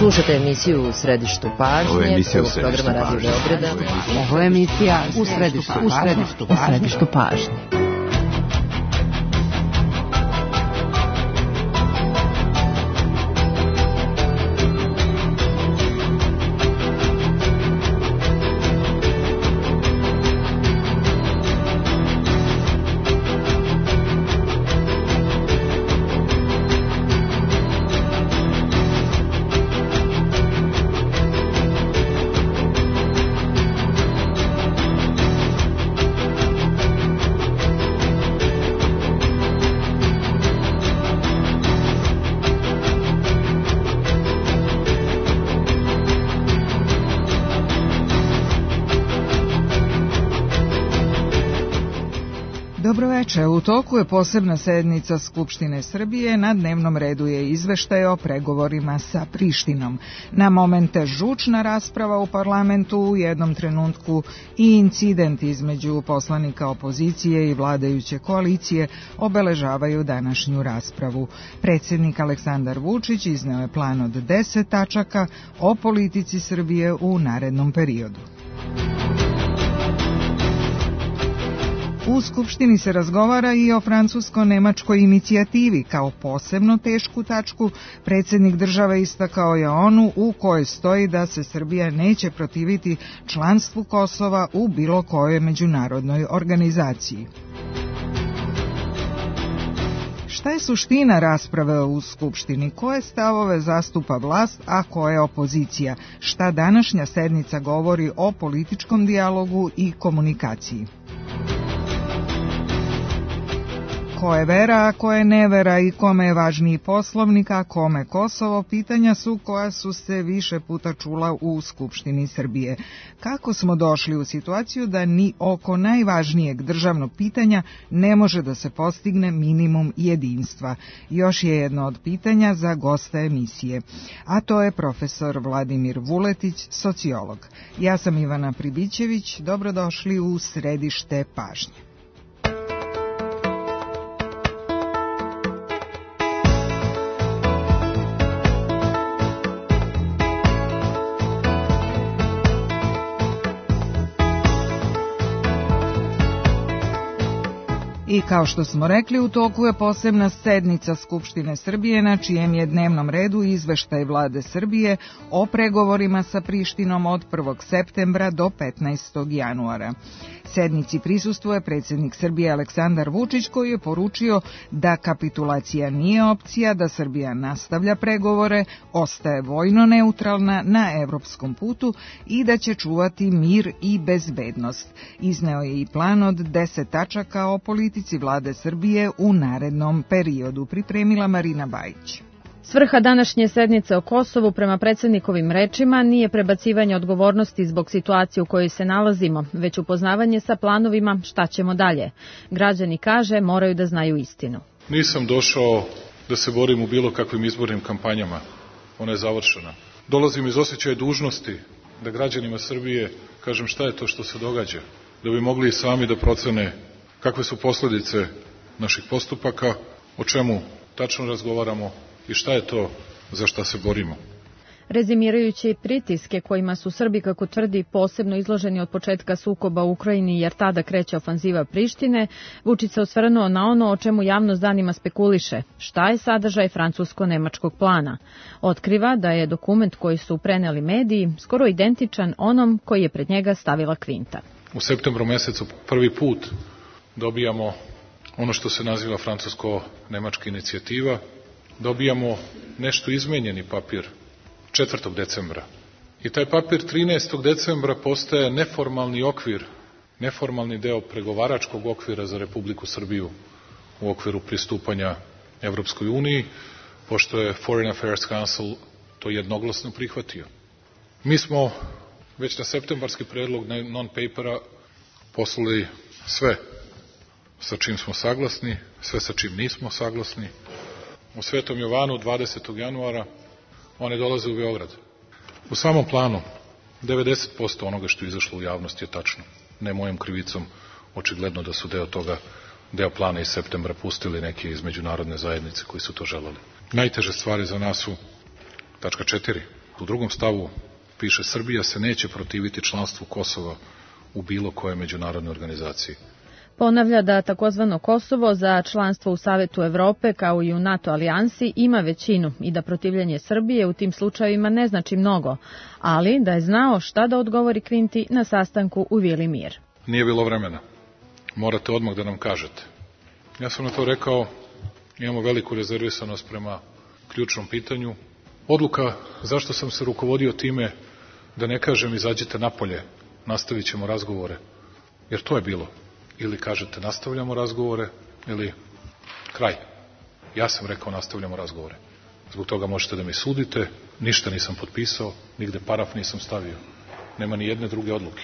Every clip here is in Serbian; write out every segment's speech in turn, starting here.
Slušate emisiju U središtu pažnje. Ovo je emisija U programa Radio Beograda. Ovo je emisija U središtu pažnje. Dobroveče, u toku je posebna sednica Skupštine Srbije, na dnevnom redu je izveštaj o pregovorima sa Prištinom. Na momente žučna rasprava u parlamentu, u jednom trenutku i incident između poslanika opozicije i vladajuće koalicije obeležavaju današnju raspravu. Predsjednik Aleksandar Vučić izneo je plan od 10 tačaka o politici Srbije u narednom periodu. U Skupštini se razgovara i o francusko-nemačkoj inicijativi. Kao posebno tešku tačku predsjednik države istakao je onu u kojoj stoji da se Srbija neće protiviti članstvu Kosova u bilo kojoj međunarodnoj organizaciji. Šta je suština rasprave u Skupštini? Koje stavove zastupa vlast, a koje opozicija? Šta današnja sednica govori o političkom dijalogu i komunikaciji? Ko je vera, a ko je nevera i kome je važniji Poslovnik, a kome Kosovo, pitanja su koja su se više puta čula u Skupštini Srbije. Kako smo došli u situaciju da ni oko najvažnijeg državnog pitanja ne može da se postigne minimum jedinstva? Još je jedno od pitanja za gosta emisije, a to je profesor Vladimir Vuletić, sociolog. Ja sam Ivana Pribićević, dobrodošli u središte pažnje. I kao što smo rekli, u toku je posebna sednica Skupštine Srbije na čijem je dnevnom redu izveštaj Vlade Srbije o pregovorima sa Prištinom od 1. septembra do 15. januara. Sednici prisustvuje predsjednik Srbije Aleksandar Vučić, koji je poručio da kapitulacija nije opcija, da Srbija nastavlja pregovore, ostaje vojno neutralna na evropskom putu i da će čuvati mir i bezbednost. Izneo je i plan od 10 tačaka o politici Vlade Srbije u narednom periodu, pripremila Marina Bajić. Svrha današnje sednice o Kosovu, prema predsjednikovim rečima, nije prebacivanje odgovornosti zbog situacije u kojoj se nalazimo, već upoznavanje sa planovima šta ćemo dalje. Građani, kaže, moraju da znaju istinu. Nisam došao da se borim u bilo kakvim izbornim kampanjama. Ona je završena. Dolazim iz osjećaja dužnosti da građanima Srbije kažem šta je to što se događa, da bi mogli i sami da procene kakve su posljedice naših postupaka, o čemu tačno razgovaramo i šta je to za šta se borimo. Rezimirajući pritiske kojima su Srbi, kako tvrdi, posebno izloženi od početka sukoba u Ukrajini, jer tada kreće ofanziva Prištine, Vučić se osvrnuo na ono o čemu javnost danima spekuliše. Šta je sadržaj francusko-nemačkog plana? Otkriva da je dokument koji su preneli mediji skoro identičan onom koji je pred njega stavila Kvinta. U septembru mesecu prvi put dobijamo ono što se naziva francusko-nemačka inicijativa, dobijamo nešto izmenjeni papir 4. decembra. I taj papir 13. decembra postaje neformalni okvir, neformalni deo pregovaračkog okvira za Republiku Srbiju u okviru pristupanja Evropskoj uniji, pošto je Foreign Affairs Council to jednoglasno prihvatio. Mi smo već na septembarski predlog non-papera poslali sve sa čim smo saglasni, sve sa čim nismo saglasni. U Svetom Jovanu 20. januara one dolaze u Beograd. U samom planu 90% onoga što je izašlo u javnost je tačno. Ne mojom krivicom, očigledno da su deo plana iz septembra pustili neki iz međunarodne zajednice koji su to želeli. Najteže stvari za nas su tačka 4. U 2. stavu piše: Srbija se neće protiviti članstvu Kosova u bilo kojoj međunarodnoj organizaciji. Ponavlja da takozvano Kosovo za članstvo u Savetu Evrope kao i u NATO alijansi ima većinu i da protivljenje Srbije u tim slučajevima ne znači mnogo, ali da je znao šta da odgovori Kvinti na sastanku u Vili Mir. Nije bilo vremena. Morate odmah da nam kažete. Ja sam na to rekao, imamo veliku rezervisanost prema ključnom pitanju. Odluka zašto sam se rukovodio time da ne kažem izađite napolje, nastavit ćemo razgovore, jer to je bilo. Ili kažete nastavljamo razgovore, ili kraj. Ja sam rekao nastavljamo razgovore. Zbog toga možete da mi sudite, ništa nisam potpisao, nigde paraf nisam stavio. Nema ni jedne druge odluke.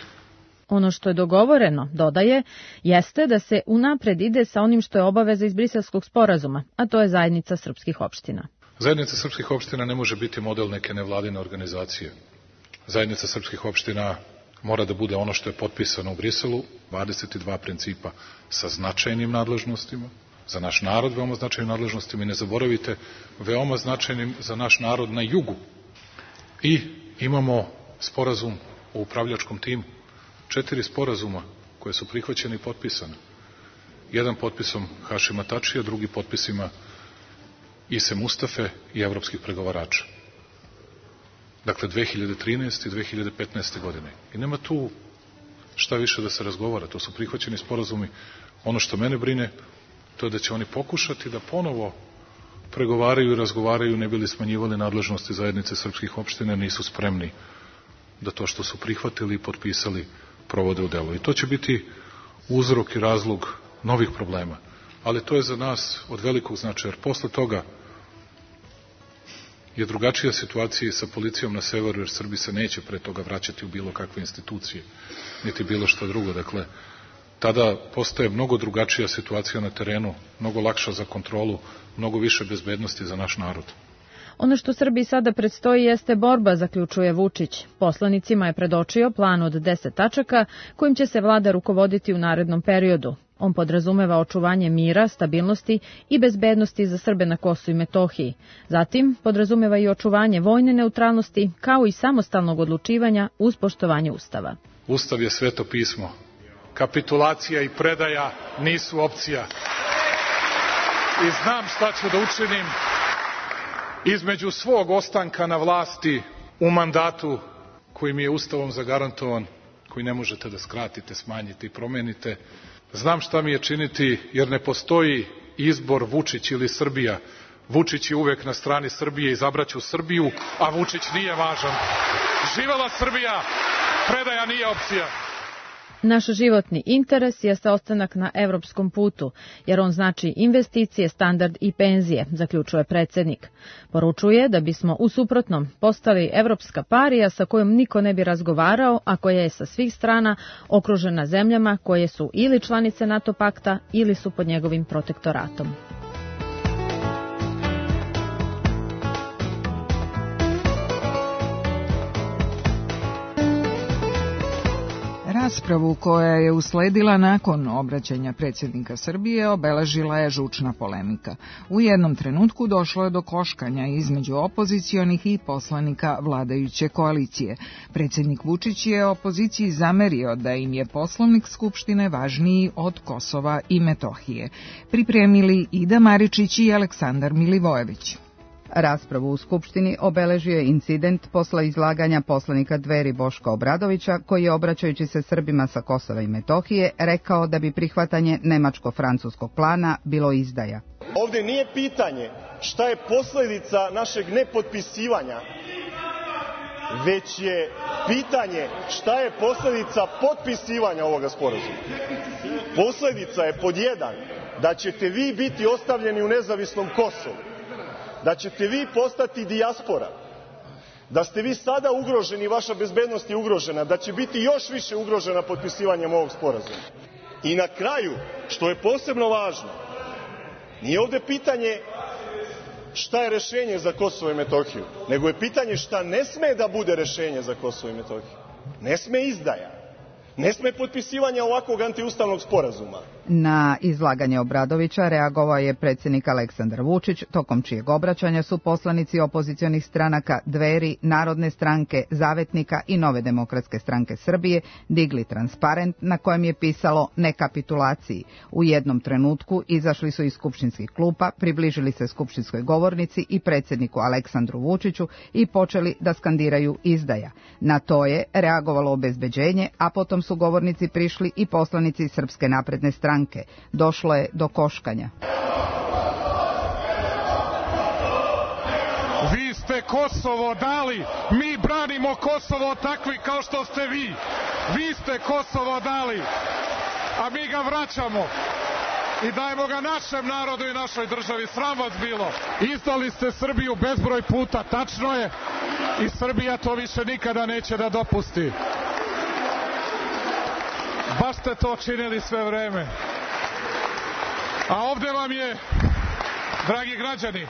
Ono što je dogovoreno, dodaje, jeste da se unapred ide sa onim što je obaveza iz Briselskog sporazuma, a to je zajednica srpskih opština. Zajednica srpskih opština ne može biti model neke nevladine organizacije. Zajednica srpskih opština mora da bude ono što je potpisano u Briselu, 22 principa sa značajnim nadležnostima, za naš narod veoma značajnim nadležnostima i ne zaboravite, veoma značajnim za naš narod na jugu. I imamo sporazum o upravljačkom timu, 4 sporazuma koje su prihvaćene i potpisane. Jedan potpisom Hašima Tačija, drugi potpisima Ise Mustafe i evropskih pregovarača. Dakle, 2013. i 2015. godine. I nema tu šta više da se razgovara. To su prihvaćeni sporazumi. Ono što mene brine, to je da će oni pokušati da ponovo pregovaraju i razgovaraju, ne bili smanjivali nadležnosti zajednice srpskih opština, nisu spremni da to što su prihvatili i potpisali provode u delu. I to će biti uzrok i razlog novih problema. Ali to je za nas od velikog značaja, jer posle toga je drugačija situacija sa policijom na severu, jer Srbi se neće pre toga vraćati u bilo kakve institucije, niti bilo što drugo. Dakle, tada postaje mnogo drugačija situacija na terenu, mnogo lakša za kontrolu, mnogo više bezbednosti za naš narod. Ono što Srbiji sada predstoji jeste borba, zaključuje Vučić. Poslanicima je predočio plan od 10 tačaka kojim će se vlada rukovoditi u narednom periodu. On podrazumeva očuvanje mira, stabilnosti i bezbednosti za Srbe na Kosovu i Metohiji. Zatim podrazumeva i očuvanje vojne neutralnosti kao i samostalnog odlučivanja uz poštovanje Ustava. Ustav je sveto pismo. Kapitulacija i predaja nisu opcija. I znam šta ću da učinim između svog ostanka na vlasti u mandatu koji mi je Ustavom zagarantovan, koji ne možete da skratite, smanjite i promenite. Znam šta mi je činiti, jer ne postoji izbor Vučić ili Srbija. Vučić je uvek na strani Srbije, izabraću Srbiju, a Vučić nije važan. Živela Srbija, predaja nije opcija. Naš životni interes jeste ostanak na evropskom putu, jer on znači investicije, standard i penzije, zaključuje predsjednik. Poručuje da bismo u suprotnom postali evropska parija sa kojom niko ne bi razgovarao, a koja je sa svih strana okružena zemljama koje su ili članice NATO pakta ili su pod njegovim protektoratom. Raspravu koja je usledila nakon obraćanja predsjednika Srbije obeležila je žučna polemika. U jednom trenutku došlo je do koškanja između opozicionih i poslanika vladajuće koalicije. Predsjednik Vučić je opoziciji zamerio da im je Poslovnik Skupštine važniji od Kosova i Metohije. Pripremili Ida Maričić i Aleksandar Milivojević. Raspravu u Skupštini obeležio je incident posle izlaganja poslanika Dveri Boška Obradovića, koji je, obraćajući se Srbima sa Kosova i Metohije, rekao da bi prihvatanje nemačko-francuskog plana bilo izdaja. Ovde nije pitanje šta je posledica našeg nepotpisivanja, već je pitanje šta je posledica potpisivanja ovoga sporazuma. Posledica je pod 1 da ćete vi biti ostavljeni u nezavisnom Kosovu, da ćete vi postati dijaspora, da ste vi sada ugroženi, vaša bezbednost je ugrožena, da će biti još više ugrožena potpisivanjem ovog sporazuma. I na kraju, što je posebno važno, nije ovde pitanje šta je rešenje za Kosovo i Metohiju, nego je pitanje šta ne sme da bude rešenje za Kosovo i Metohiju. Ne sme izdaja, ne sme potpisivanje ovakvog antiustavnog sporazuma, Na izlaganje Obradovića reagovao je predsjednik Aleksandar Vučić, tokom čijeg obraćanja su poslanici opozicionih stranaka Dveri, Narodne stranke, Zavetnika i Nove demokratske stranke Srbije digli transparent na kojem je pisalo "Ne kapitulaciji". U jednom trenutku izašli su iz skupštinskih klupa, približili se skupštinskoj govornici i predsjedniku Aleksandru Vučiću i počeli da skandiraju "izdaja". Na to je reagovalo obezbeđenje, a potom su govornici prišli i poslanici iz Srpske napredne stranke. Došlo je do koškanja. Vi ste Kosovo dali, mi branimo Kosovo takvi kao što ste vi. Vi ste Kosovo dali, a mi ga vraćamo i dajemo ga našem narodu i našoj državi. Sram vas bilo. Izdali ste Srbiju bezbroj puta, tačno je, i Srbija to više nikada neće da dopusti. Baš ste to činili sve vreme. A ovde vam je, dragi građani,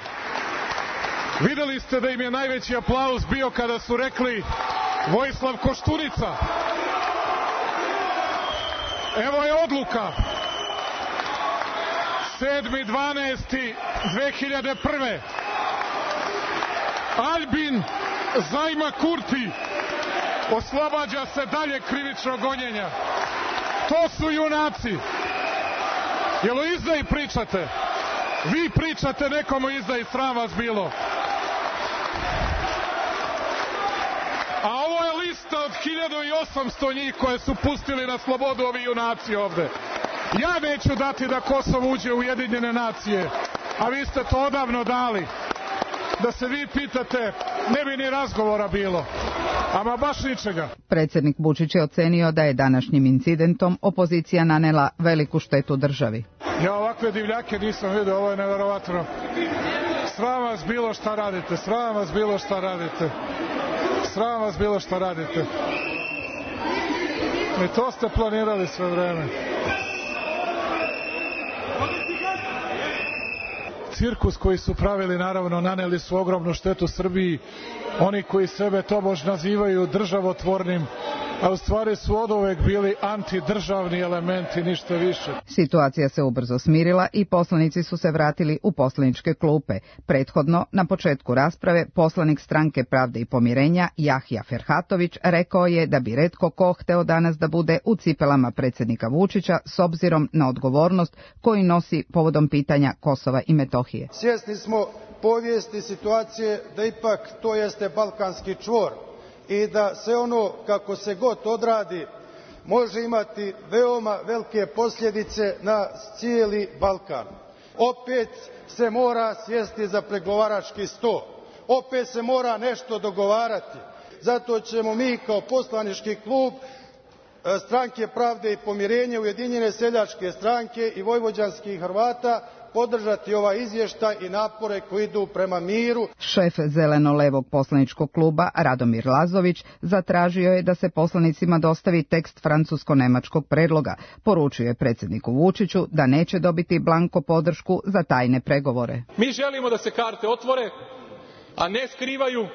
videli ste da im je najveći aplauz bio kada su rekli Vojislav Koštunica. Evo je odluka. 7.12.2001. Albin Zajma Kurti oslobađa se dalje krivičnog gonjenja. To su junaci. Jel o izdaji pričate? Vi pričate nekom o izdaji, sram vas bilo. A ovo je lista od 1800 njih koje su pustili na slobodu ovi junaci ovde. Ja neću dati da Kosovo uđe u Ujedinjene nacije, a vi ste to odavno dali. Da se vi pitate, ne bi ni razgovora bilo. Ama baš ničega. Predsjednik Vučić je ocenio da je današnjim incidentom opozicija nanela veliku štetu državi. Ja ovakve divljake nisam vidio, ovo je neverovatno. Sram vas bilo šta radite, sram vas bilo šta radite. Sram vas bilo šta radite. I to ste planirali sve vreme. Cirkus koji su pravili, naravno, naneli su ogromnu štetu Srbiji. Oni koji sebe tobož nazivaju državotvornim, a u stvari su oduvek bili antidržavni elementi, ništa više. Situacija se ubrzo smirila i poslanici su se vratili u poslaničke klupe. Prethodno, na početku rasprave, poslanik Stranke pravde i pomirenja Jahja Ferhatović rekao je da bi retko ko hteo danas da bude u cipelama predsjednika Vučića s obzirom na odgovornost koju nosi povodom pitanja Kosova i Metohije. Svjesni smo povijesti situacije da ipak to jeste balkanski čvor i da sve ono kako se god odradi može imati veoma velike posljedice na cijeli Balkan. Opet se mora sjesti za pregovarački sto, opet se mora nešto dogovarati. Zato ćemo mi kao poslanički klub Stranke pravde i pomirenja, Ujedinjene seljačke stranke i vojvođanskih Hrvata podržati ovaj izvještaj i napore koji idu prema miru. Šef zeleno-levog poslaničkog kluba Radomir Lazović zatražio je da se poslanicima dostavi tekst francusko-nemačkog predloga. Poručio je predsjedniku Vučiću da neće dobiti blanko podršku za tajne pregovore. Mi želimo da se karte otvore, a ne skrivaju.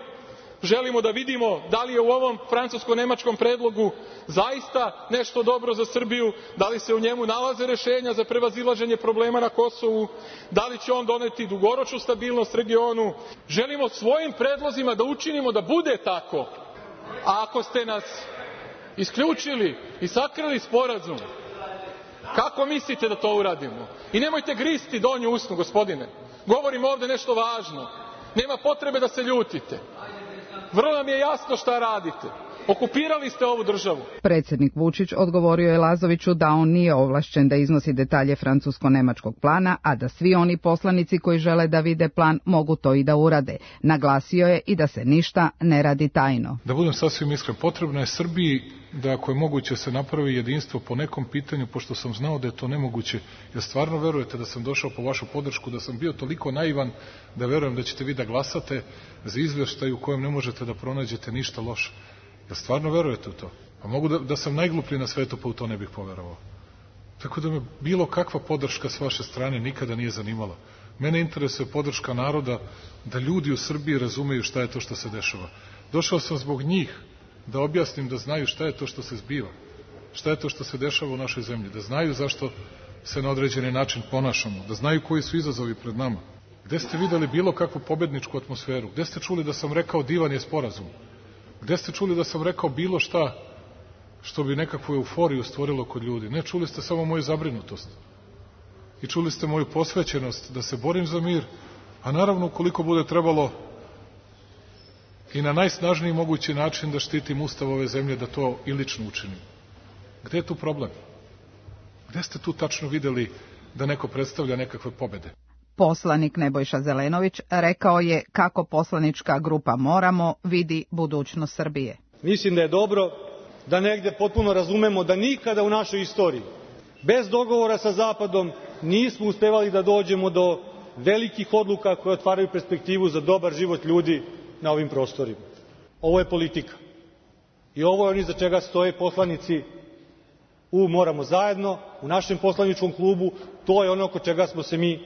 Želimo da vidimo da li je u ovom francusko-nemačkom predlogu zaista nešto dobro za Srbiju, da li se u njemu nalaze rešenja za prevazilaženje problema na Kosovu, da li će on doneti dugoročnu stabilnost regionu. Želimo svojim predlozima da učinimo da bude tako. A ako ste nas isključili i sakrili sporazum, kako mislite da to uradimo? I nemojte gristi donju usnu, gospodine. Govorim ovde nešto važno. Nema potrebe da se ljutite. Vrlo nam je jasno šta radite. Okupirali ste ovu državu. Predsjednik Vučić odgovorio je Lazoviću da on nije ovlašćen da iznosi detalje francusko-nemačkog plana, a da svi oni poslanici koji žele da vide plan mogu to i da urade. Naglasio je i da se ništa ne radi tajno. Da budem sasvim iskren, potrebno je Srbiji da ako je moguće se napravi jedinstvo po nekom pitanju, pošto sam znao da je to nemoguće. Jer stvarno verujete da sam došao po vašu podršku, da sam bio toliko naivan da verujem da ćete vi da glasate za izvještaj u kojem ne možete da pronađete ništa loše. Jel stvarno verujete u to? Pa mogu da sam najgluplji na svetu, pa u to ne bih poverovao. Tako da me bilo kakva podrška s vaše strane nikada nije zanimala. Mene interesuje podrška naroda, da ljudi u Srbiji razumeju šta je to što se dešava. Došao sam zbog njih da objasnim, da znaju šta je to što se zbiva. Šta je to što se dešava u našoj zemlji. Da znaju zašto se na određeni način ponašamo, da znaju koji su izazovi pred nama. Gde ste videli bilo kakvu pobedničku atmosferu? Gde ste čuli da sam rekao divan je sporazum? Gde ste čuli da sam rekao bilo šta što bi nekakvu euforiju stvorilo kod ljudi? Ne, čuli ste samo moju zabrinutost. I čuli ste moju posvećenost da se borim za mir, a naravno ukoliko bude trebalo i na najsnažniji mogući način da štitim ustav ove zemlje, da to i lično učinim. Gde je tu problem? Gde ste tu tačno videli da neko predstavlja nekakve pobede? Poslanik Nebojša Zelenović rekao je kako poslanička grupa Moramo vidi budućnost Srbije. Mislim da je dobro da negde potpuno razumemo da nikada u našoj istoriji bez dogovora sa Zapadom nismo uspevali da dođemo do velikih odluka koje otvaraju perspektivu za dobar život ljudi na ovim prostorima. Ovo je politika. I ovo je ono iza čega stoje poslanici u Moramo zajedno, u našem poslaničkom klubu. To je ono oko čega smo se mi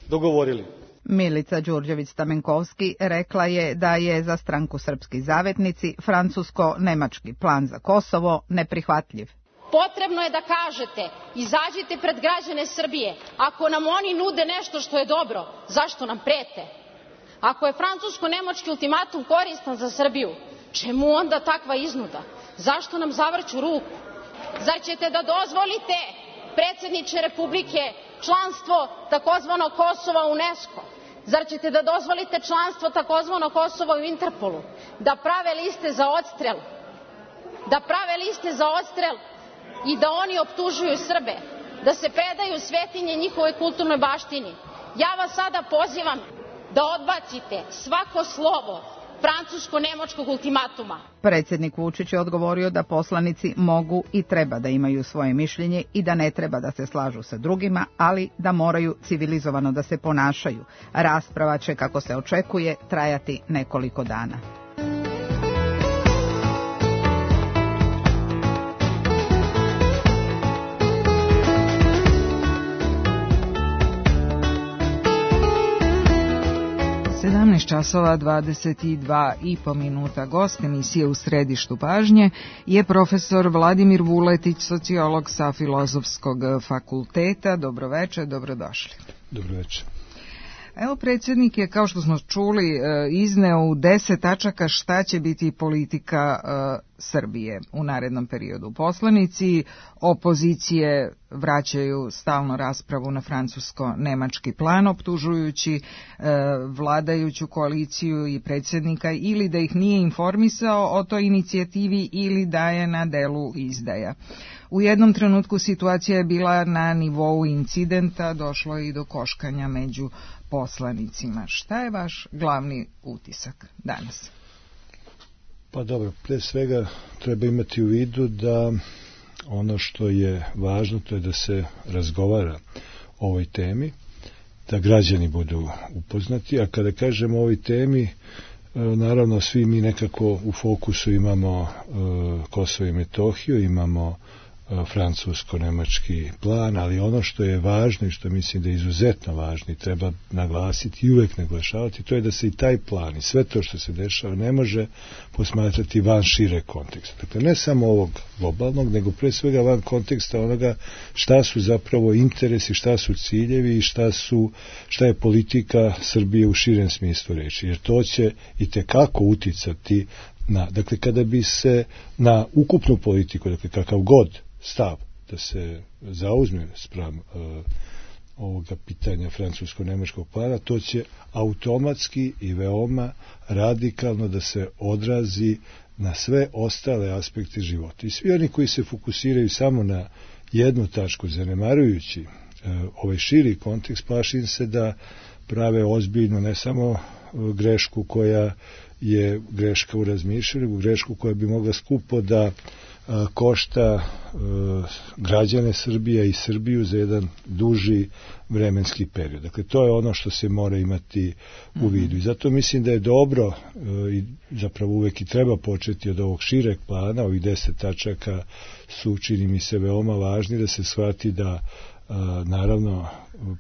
dogovorili. Milica Đurđević-Stamenkovski rekla je da je za stranku Srpski zavetnici francusko-nemački plan za Kosovo neprihvatljiv. Potrebno je da kažete, izađite pred građane Srbije, ako nam oni nude nešto što je dobro, zašto nam prete? Ako je francusko-nemački ultimatum koristan za Srbiju, čemu onda takva iznuda? Zašto nam zavrću ruku? Zar ćete da dozvolite, predsjedniče Republike, članstvo takozvanog Kosova u UNESCO? Zar ćete da dozvolite članstvo takozvanog Kosova u Interpolu? Da prave liste za odstrel? Da prave liste za odstrel i da oni optužuju Srbe? Da se predaju svetinje njihove kulturnoj baštini? Ja vas sada pozivam da odbacite svako slovo francusko-nemačkog ultimatuma. Predsjednik Vučić je odgovorio da poslanici mogu i treba da imaju svoje mišljenje i da ne treba da se slažu sa drugima, ali da moraju civilizovano da se ponašaju. Rasprava će, kako se očekuje, trajati nekoliko dana. časova 22,5 minuta. Gost emisije U središtu pažnje je profesor Vladimir Vuletić, sociolog sa Filozofskog fakulteta. Dobroveče, dobrodošli. Dobroveče. Evo, predsjednik je, kao što smo čuli, izneo u 10 tačaka šta će biti politika Srbije u narednom periodu. Poslanici opozicije vraćaju stalno raspravu na francusko-nemački plan, optužujući vladajuću koaliciju i predsjednika ili da ih nije informisao o toj inicijativi ili da je na delu izdaja. U jednom trenutku situacija je bila na nivou incidenta, došlo je i do koškanja među poslanicima. Šta je vaš glavni utisak danas? Pa dobro, pre svega treba imati u vidu da ono što je važno to je da se razgovara o ovoj temi, da građani budu upoznati, a kada kažemo o ovoj temi, naravno svi mi nekako u fokusu imamo Kosovo i Metohiju, imamo francusko-nemački plan, ali ono što je važno i što mislim da je izuzetno važno i treba naglasiti i uvek naglašavati, to je da se i taj plan i sve to što se dešava ne može posmatrati van šire konteksta. Dakle, ne samo ovog globalnog, nego pre svega van konteksta onoga šta su zapravo interesi, šta su ciljevi i šta je politika Srbije u širem smislu reči. Jer to će i tekako uticati dakle, kada bi se na ukupnu politiku, dakle, kakav god stav da se zauzme spram ovoga pitanja francusko-nemačkog plana, to će automatski i veoma radikalno da se odrazi na sve ostale aspekte života. I svi oni koji se fokusiraju samo na jednu tačku, zanemarujući ovaj širi kontekst, plašim se da prave ozbiljno ne samo grešku koja je greška u razmišljanju, nego grešku koja bi mogla skupo da košta građane Srbije i Srbiju za jedan duži vremenski period. Dakle, to je ono što se mora imati u vidu. I zato mislim da je dobro i zapravo uvek i treba početi od ovog šireg plana, ovih 10 tačaka su, čini mi se, veoma važni da se shvati da naravno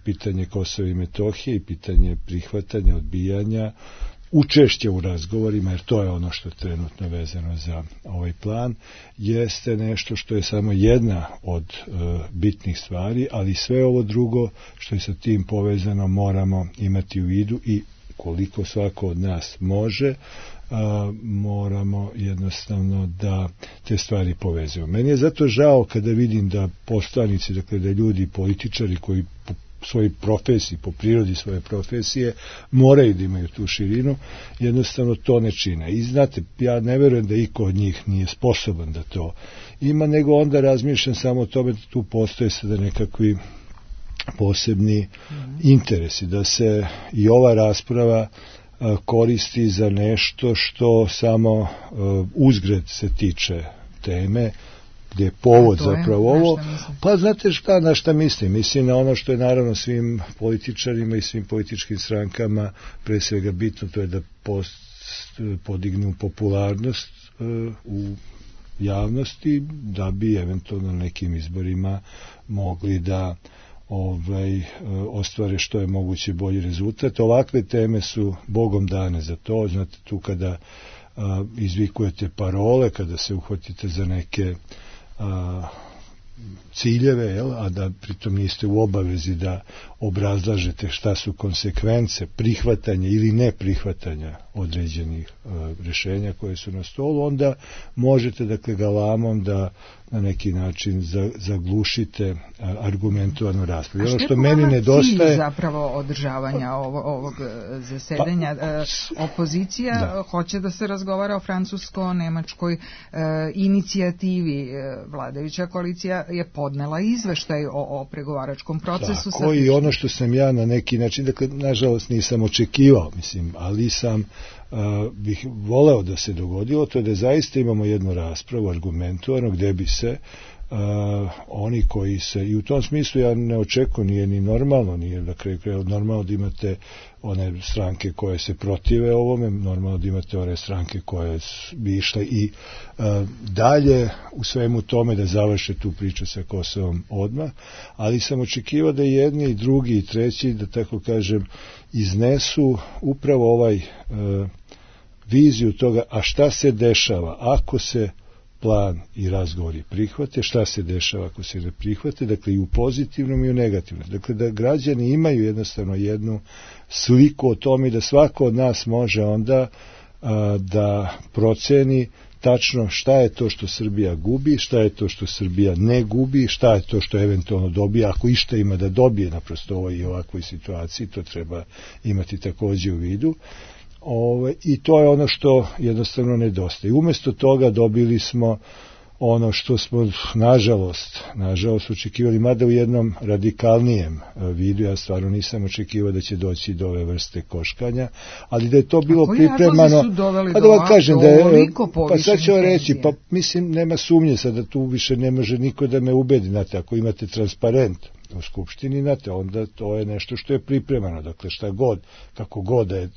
pitanje Kosova i Metohije i pitanje prihvatanja, odbijanja učešće u razgovorima, jer to je ono što je trenutno vezano za ovaj plan, jeste nešto što je samo jedna od bitnih stvari, ali sve ovo drugo što je sa tim povezano moramo imati u vidu i koliko svako od nas može, moramo jednostavno da te stvari povezujemo. Meni je zato žao kada vidim da poslanici, dakle da ljudi, političari koji po svojoj profesiji, po prirodi svoje profesije, moraju da imaju tu širinu, jednostavno to ne čine. I znate, ja ne verujem da iko od njih nije sposoban da to ima, nego onda razmišljam samo o tome da tu postoje sada nekakvi posebni interesi, da se i ova rasprava koristi za nešto što samo uzgred se tiče teme, gdje je povod zapravo ovo. Pa znate na šta mislim? Mislim na ono što je naravno svim političarima i svim političkim strankama pre svega bitno, to je da podignu popularnost u javnosti, da bi eventualno nekim izborima mogli da ostvare što je moguće bolji rezultat. Ovakve teme su Bogom dane za to. Znate, tu kada izvikujete parole, kada se uhvatite za neke ciljeve, a da pritom niste u obavezi da obrazlažete šta su konsekvence prihvatanja ili neprihvatanja određenih rješenja koje su na stolu, onda možete, dakle, galamom da na neki način zaglušite argumentovanu raspravu. A što je meni nedostaje cilj zapravo održavanja ovog zasedanja? Opozicija hoće da se razgovara o francusko-nemačkoj inicijativi. Vladajuća koalicija je podnela izveštaj o pregovaračkom procesu. Tako, i ono što sam ja na neki način, dakle, nažalost nisam očekivao, ali sam bih voleo da se dogodilo, to je da zaista imamo jednu raspravu argumentovanu gdje bi se oni koji se, i u tom smislu ja ne očekujem, nije ni normalno, nije na kraju kraja normalno da imate one stranke koje se protive ovome, normalno da imate one stranke koje bi išle i dalje u svemu tome da završe tu priču sa Kosovom odmah, ali sam očekivao da jedni i drugi i treći, da tako kažem, iznesu upravo ovaj viziju toga, a šta se dešava ako se plan i razgovori prihvate, šta se dešava ako se ne prihvate, dakle i u pozitivnom i u negativnom. Dakle, da građani imaju jednostavno jednu sliku o tome da svako od nas može onda da proceni tačno šta je to što Srbija gubi, šta je to što Srbija ne gubi, šta je to što eventualno dobije, ako išta ima da dobije naprosto ovoj i ovakvoj situaciji, to treba imati također u vidu. I to je ono što jednostavno nedostaje. Umjesto toga dobili smo ono što smo nažalost očekivali, mada u jednom radikalnijem vidu. Ja stvarno nisam očekivao da će doći do ove vrste koškanja, ali da je to bilo pripremano, pa da vam kažem da je, pa sad ću reći, pa mislim nema sumnje sad da tu više ne može niko da me ubedi, znate, ako imate transparent u Skupštini, znate, onda to je nešto što je pripremano, dakle šta god, kako god da je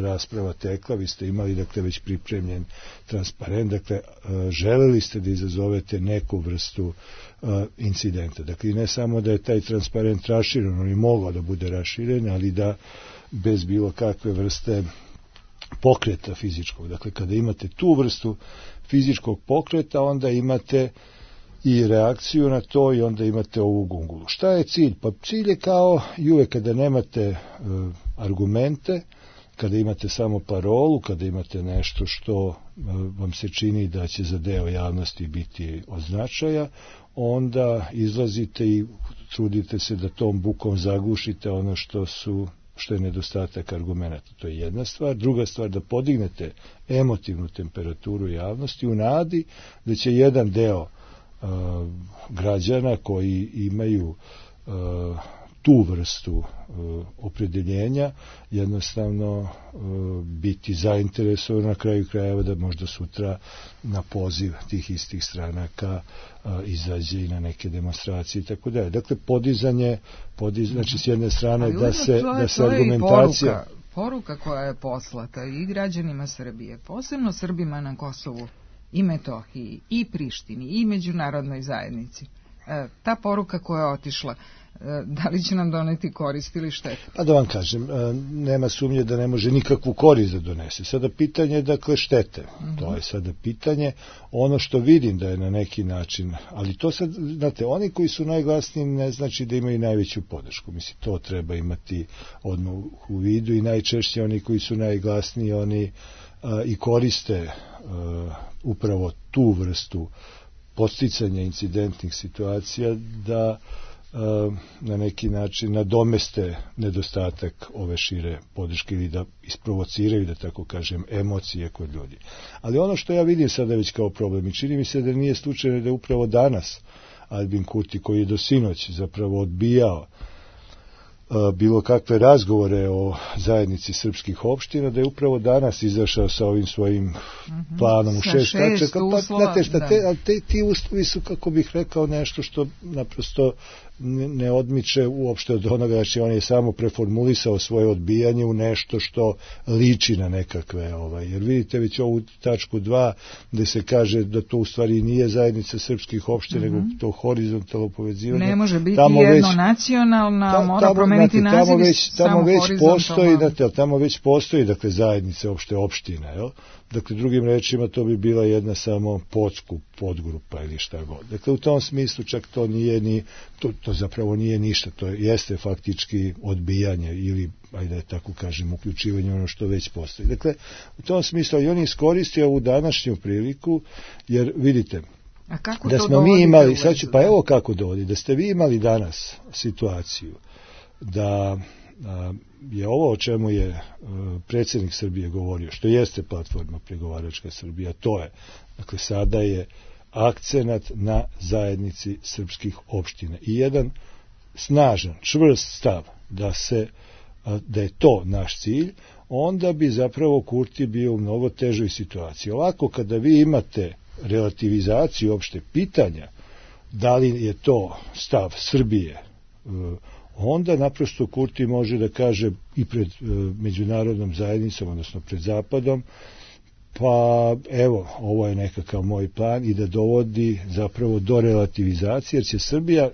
rasprava tekla, vi ste imali, dakle, već pripremljen transparent, dakle, želeli ste da izazovete neku vrstu incidenta. Dakle, ne samo da je taj transparent raširen, on je mogao da bude raširen, ali da bez bilo kakve vrste pokreta fizičkog. Dakle, kada imate tu vrstu fizičkog pokreta, onda imate i reakciju na to i onda imate ovu gungulu. Šta je cilj? Pa cilj je kao i uvek kada nemate argumente, kada imate samo parolu, kada imate nešto što vam se čini da će za deo javnosti biti od značaja, onda izlazite i trudite se da tom bukom zagušite ono što je nedostatak argumenta. To je jedna stvar. Druga stvar, da podignete emotivnu temperaturu javnosti u nadi da će jedan deo građana koji imaju tu vrstu opredeljenja jednostavno biti zainteresovan na kraju krajeva da možda sutra na poziv tih istih stranaka izađe i na neke demonstracije i tako dalje. Dakle, podizanje, znači s jedne strane da se argumentacija... Poruka koja je poslata i građanima Srbije, posebno Srbima na Kosovu i Metohiji i Prištini i međunarodnoj zajednici. Ta poruka koja je otišla Da li će nam doneti korist ili štetu? Pa da vam kažem, nema sumnje da ne može nikakvu korist da donese. Sada pitanje je dakle štete. To je sada pitanje. Ono što vidim da je na neki način, ali to sad, znate, oni koji su najglasniji ne znači da imaju najveću podršku. Mislim, to treba imati odmah u vidu i najčešće oni koji su najglasniji, oni i koriste upravo tu vrstu podsticanja incidentnih situacija da na neki način nadomeste nedostatak ove šire podrške ili da isprovociraju, da tako kažem, emocije kod ljudi. Ali ono što ja vidim sada već kao problem i čini mi se da nije slučajno da je upravo danas Albin Kurti, koji je do sinoć zapravo odbijao bilo kakve razgovore o zajednici srpskih opština, da je upravo danas izašao sa ovim svojim planom u 6 tačaka. Pa, znate šta, ti uslovi su, kako bih rekao, nešto što naprosto ne odmiče uopšte od onoga, znači on je samo preformulisao svoje odbijanje u nešto što liči na nekakve, jer vidite već ovu tačku 2 gde se kaže da to u stvari nije zajednica srpskih opština, nego to horizontalno povezivanje. Ne može biti jedno nacionalna, mora promeniti naziv samo horizontalno. Tamo već postoji, dakle, zajednice opšte opštine, jel? Dakle, drugim rečima, to bi bila jedna samo podgrupa ili šta god. Dakle, u tom smislu čak to nije ni, to zapravo nije ništa, to jeste faktički odbijanje ili, ajde tako kažem, uključivanje ono što već postoji. Dakle, u tom smislu i on iskoristio ovu današnju priliku, jer vidite, da smo mi imali, pa evo kako dovodi, da ste vi imali danas situaciju da je ovo o čemu je predsjednik Srbije govorio, što jeste platforma pregovaračka Srbija, to je, dakle, sada je akcenat na zajednici srpskih opština i jedan snažan, čvrst stav da je to naš cilj, onda bi zapravo Kurti bio u mnogo težoj situaciji. Ovako, kada vi imate relativizaciju opšte pitanja, da li je to stav Srbije, onda naprosto Kurti može da kaže i pred međunarodnom zajednicom, odnosno pred Zapadom, pa evo, ovo je nekakav moj plan i da dovodi zapravo do relativizacije, jer će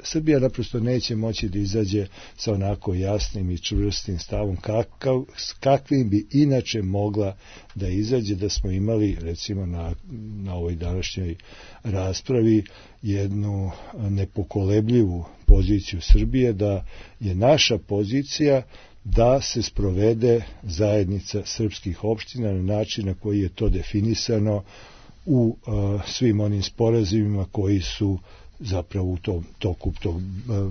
Srbija naprosto neće moći da izađe sa onako jasnim i čvrstim stavom kakvim bi inače mogla da izađe da smo imali, recimo, na ovoj današnjoj raspravi jednu nepokolebljivu poziciju Srbije, da je naša pozicija da se sprovede zajednica srpskih opština na način na koji je to definisano u svim onim sporazumima koji su zapravo u tom toku tog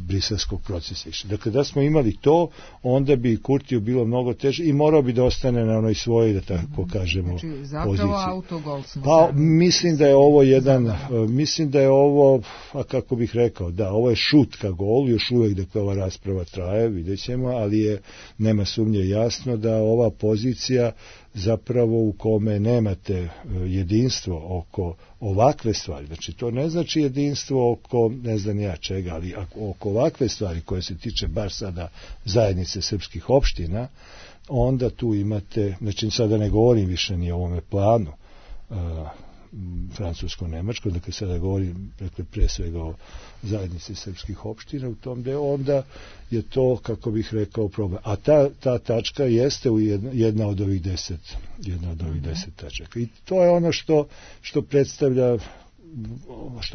briselskog procesa. Dakle, da smo imali to, onda bi Kurtiju bilo mnogo teže i morao bi da ostane na onoj svojoj, da tako kažemo, poziciji. Zapravo autogol smo. Pa, mislim da je ovo mislim da je ovo, a kako bih rekao, da, ovo je šut ka golu, još uvek dakle ova rasprava traje, vidjet ćemo, ali nema sumnje jasno da ova pozicija zapravo u kome nemate jedinstvo oko ovakve stvari, znači to ne znači jedinstvo oko ne znam ja čega, ali oko ovakve stvari koje se tiče bar sada zajednice srpskih opština, onda tu imate, znači sada ne govorim više ni o ovome planu francusko-nemačko, dakle sada govorim pre svega o zajednici srpskih opština u tom delu, onda je to, kako bih rekao, problem. A ta tačka jeste jedna od ovih 10 tačaka. I to je ono što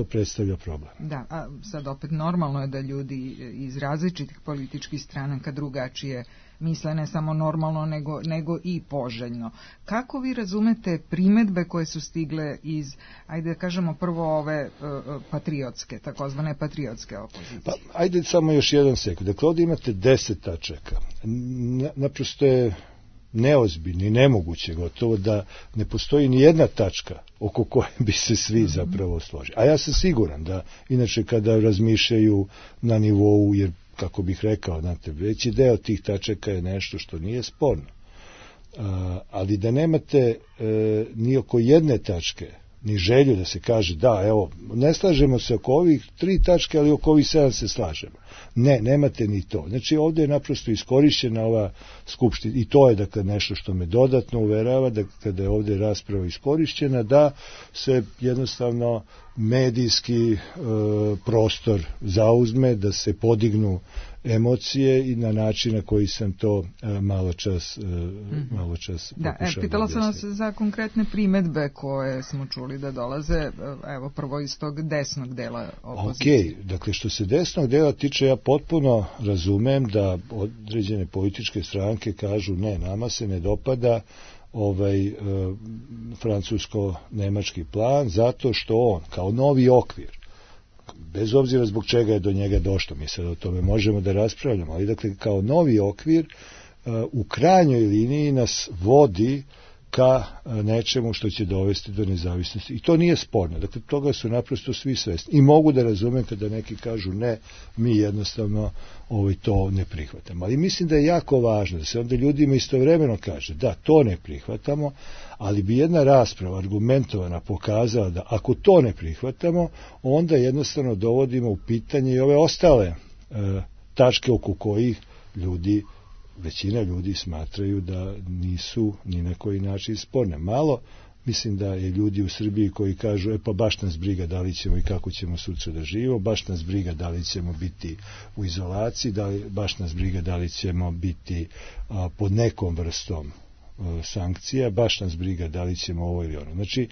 predstavlja problem. Da, a sad opet normalno je da ljudi iz različitih političkih stranaka drugačije misle, ne samo normalno, nego i poželjno. Kako vi razumete primedbe koje su stigle iz, ajde da kažemo prvo ove patriotske, takozvane patriotske opozicije? Pa, ajde samo još jedan sekund. Dakle, ovdje imate 10 tačaka. Naprosto je neozbiljno i nemoguće gotovo da ne postoji ni jedna tačka oko koje bi se svi zapravo složili. A ja sam siguran da, inače, kada razmišljaju na nivou, jer kako bih rekao, znate, veći deo tih tačaka je nešto što nije sporno. Ali da nemate ni oko jedne tačke ni želju da se kaže da, evo, ne slažemo se oko ovih 3 tačke, ali oko ovih 7 se slažemo. Ne, nemate ni to. Znači ovdje je naprosto iskorišćena ova skupština i to je dakle nešto što me dodatno uverava da kada je ovdje rasprava iskorišćena da se jednostavno medijski prostor zauzme, da se podignu emocije i na način na koji sam to malo čas pokušao. Pitala sam vas za konkretne primedbe koje smo čuli da dolaze, evo prvo iz tog desnog dela opozicije. Dakle što se desnog dela tiče, ja potpuno razumem da određene političke stranke kažu ne, nama se ne dopada francusko-nemački plan zato što on kao novi okvir, bez obzira zbog čega je do njega došlo, mi sad o tome možemo da raspravljamo, ali dakle kao novi okvir u krajnjoj liniji nas vodi ka nečemu što će dovesti do nezavisnosti. I to nije sporno. Dakle, toga su naprosto svi svesni. I mogu da razumem kada neki kažu ne, mi jednostavno to ne prihvatamo. Ali mislim da je jako važno da se onda ljudima istovremeno kaže da, to ne prihvatamo, ali bi jedna rasprava argumentovana pokazala da ako to ne prihvatamo, onda jednostavno dovodimo u pitanje i ove ostale tačke oko kojih većina ljudi smatraju da nisu ni na koji način sporne. Malo, mislim da je ljudi u Srbiji koji kažu, pa baš nas briga da li ćemo i kako ćemo sutra da živimo, baš nas briga da li ćemo biti u izolaciji, baš nas briga da li ćemo biti pod nekom vrstom sankcija, baš nas briga da li ćemo ovo ili ono. Znači,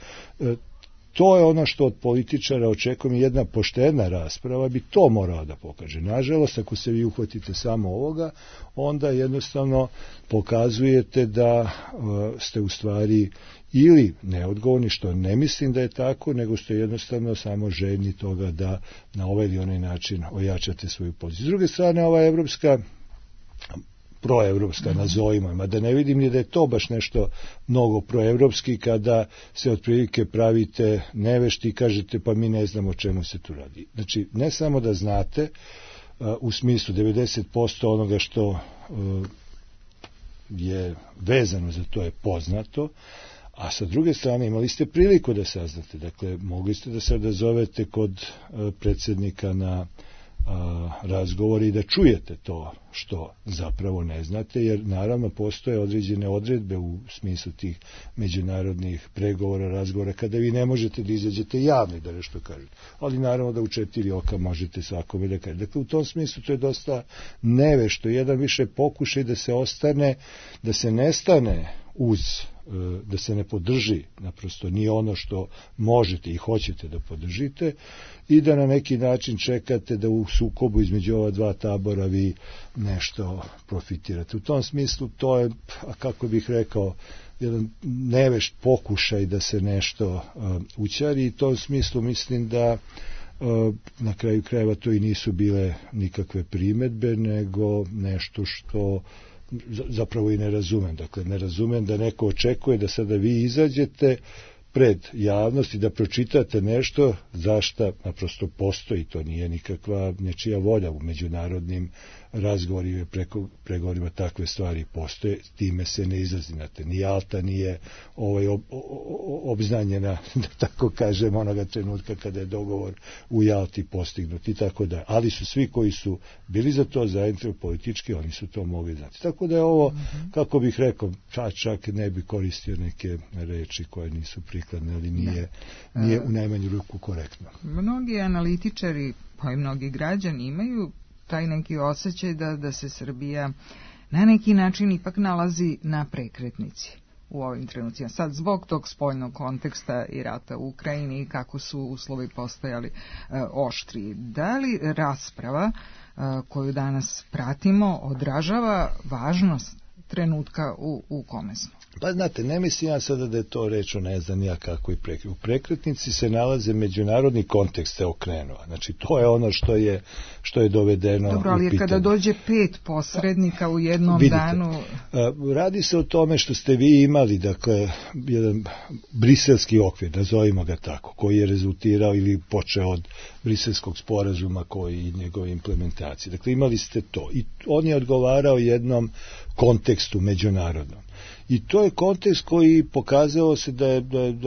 to je ono što od političara očekujem i jedna poštena rasprava bi to morala da pokaže. Nažalost, ako se vi uhvatite samo ovoga, onda jednostavno pokazujete da ste u stvari ili neodgovorni, što ne mislim da je tako, nego ste jednostavno samo željni toga da na ovaj ili onaj način ojačate svoju poziciju. S druge strane, ova proevropska, nazovimo, mada ne vidim ni da je to baš nešto mnogo proevropski kada se otprilike pravite nevešti i kažete pa mi ne znamo o čemu se tu radi. Znači, ne samo da znate, u smislu 90% onoga što je vezano za to je poznato, a sa druge strane imali ste priliku da saznate, dakle mogli ste da se odazovete kod predsjednika na razgovor i da čujete to što zapravo ne znate, jer naravno postoje određene odredbe u smislu tih međunarodnih pregovora, razgovora, kada vi ne možete da izađete javno da nešto kažete, ali naravno da u 4 oka možete svakome da kažete. Dakle, u tom smislu to je dosta nevešto, jedan više pokušaj da se ostane, da se ne stane uz, da se ne podrži naprosto nije ono što možete i hoćete da podržite i da na neki način čekate da u sukobu između ova dva tabora vi nešto profitirate. U tom smislu to je, kako bih rekao, jedan nevešt pokušaj da se nešto ućari i u tom smislu mislim da na kraju krajeva to i nisu bile nikakve primedbe, nego nešto što zapravo i ne razumem. Dakle, ne razumem da neko očekuje da sada vi izađete pred javnost i da pročitate nešto zašto naprosto postoji, to nije nikakva nečija volja u međunarodnim razgovorima i pregovorima takve stvari postoje, time se ne izlazi, znate, ni Jalta nije obznanjena, da tako kažem, onoga trenutka kada je dogovor u Jalti postignut i tako da, ali su svi koji su bili za to zainteresovani politički, oni su to mogli znati. Tako da je ovo, kako bih rekao, čak ne bi koristio neke reči koje nisu prikladne, ali nije u najmanju ruku korektno. Mnogi analitičari, pa i mnogi građani imaju taj neki osjećaj da se Srbija na neki način ipak nalazi na prekretnici u ovim trenucima. Sad, zbog tog spoljnog konteksta i rata u Ukrajini i kako su uslovi postajali oštri. Da li rasprava koju danas pratimo odražava važnost trenutka u kome smo? Pa znate, ne mislim ja sada da je to reč o ne znam ja kako i u prekretnici se nalaze međunarodni kontekst se okrenuo. Znači to je ono što je dovedeno. Dobro, ali kada dođe 5 posrednika u jednom danu... Radi se o tome što ste vi imali, dakle, jedan briselski okvir, nazovimo ga tako, koji je rezultirao ili počeo od briselskog sporazuma koji i njegove implementacije. Dakle, imali ste to i on je odgovarao jednom kontekstu međunarodnom. I to je kontekst koji pokazao se da